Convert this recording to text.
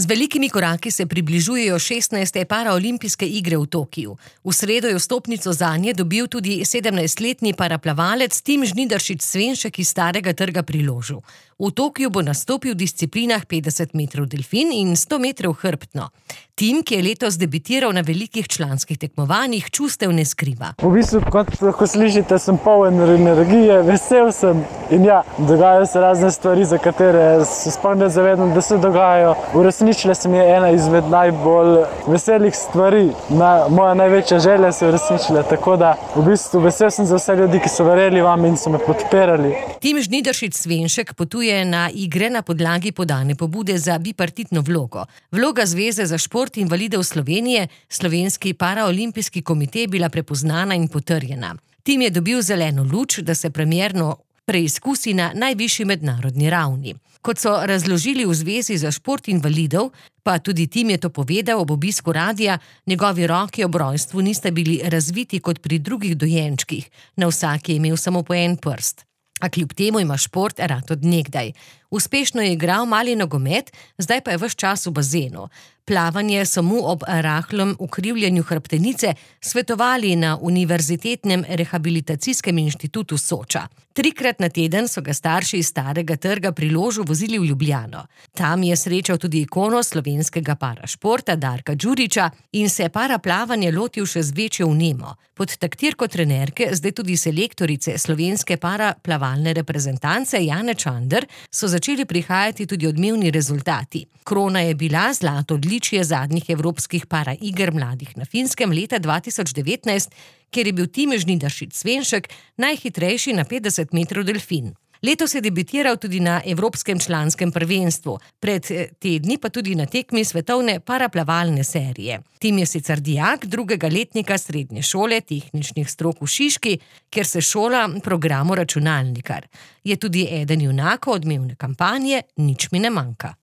Z velikimi koraki se približujejo 16. paraolimpijske igre v Tokiu. V sredo je vstopnico zanje dobil tudi 17-letni paraplavalec Tim Žnidaršič Svenšek iz Starega trga pri Ložu. V Tokiu bo nastopil v disciplinah 50 metrov delfin in 100 metrov hrbtno. Tim, ki je letos debitiral na velikih članskih tekmovanjih, čustev ne skriva. V bistvu, kot lahko slišite, sem poln energije, vesel sem in dogajajo se razne stvari, za katere se sploh ne zavedam, da se dogajajo. Uresničila se mi je ena izmed najbolj veselih stvari. Moja največja želja se je uresničila, tako da v bistvu vesel sem za vse ljudi, ki so verjeli vam in so me podpirali. Tim Žnidaršič Svenšek potuje na igre na podlagi podane pobude za bipartitno vlogo. Vloga Zveze za šport invalidov Slovenije, Slovenski paraolimpijski komite, je bila prepoznana in potrjena. Tim je dobil zeleno luč, da se premierno preizkusi na najvišji mednarodni ravni. Kot so razložili v Zvezi za šport invalidov, pa tudi Tim je to povedal ob obisku radia, njegovi roki ob rojstvu nista bili razviti kot pri drugih dojenčkih, na vsak je imel samo po en prst. A kljub temu ima šport rad od nekdaj. Uspešno je igral mali nogomet, zdaj pa je ves čas v bazenu. Plavanje so mu ob rahlem ukrivljanju hrbtenice svetovali na Univerzitetnem rehabilitacijskem inštitutu Soča. 3-krat na teden so ga starši iz Starega trga pri Ložu vozili v Ljubljano. Tam je srečal tudi ikono slovenskega parašporta Darka Đurića in se paraplavanje lotil še z večjo vnemo. Pod taktirko trenerke, zdaj tudi selektorice slovenske paraplavalne reprezentance Jane Čander, so začeli prihajati tudi odmevni rezultati. Krona je bila zlato odličje zadnjih evropskih paraiger mladih na Finskem leta 2019, kjer je bil Tim Žnidaršič Svenšek najhitrejši na 50 metrov delfin. Letos je debitiral tudi na Evropskem članskem prvenstvu, pred tedni pa tudi na tekmi svetovne paraplavalne serije. Tim je sicer dijak 2. letnika srednje šole tehničnih strok v Šiški, kjer se šola programu računalnikar. Je tudi eden junakov odmevne kampanje Nič mi ne manjka.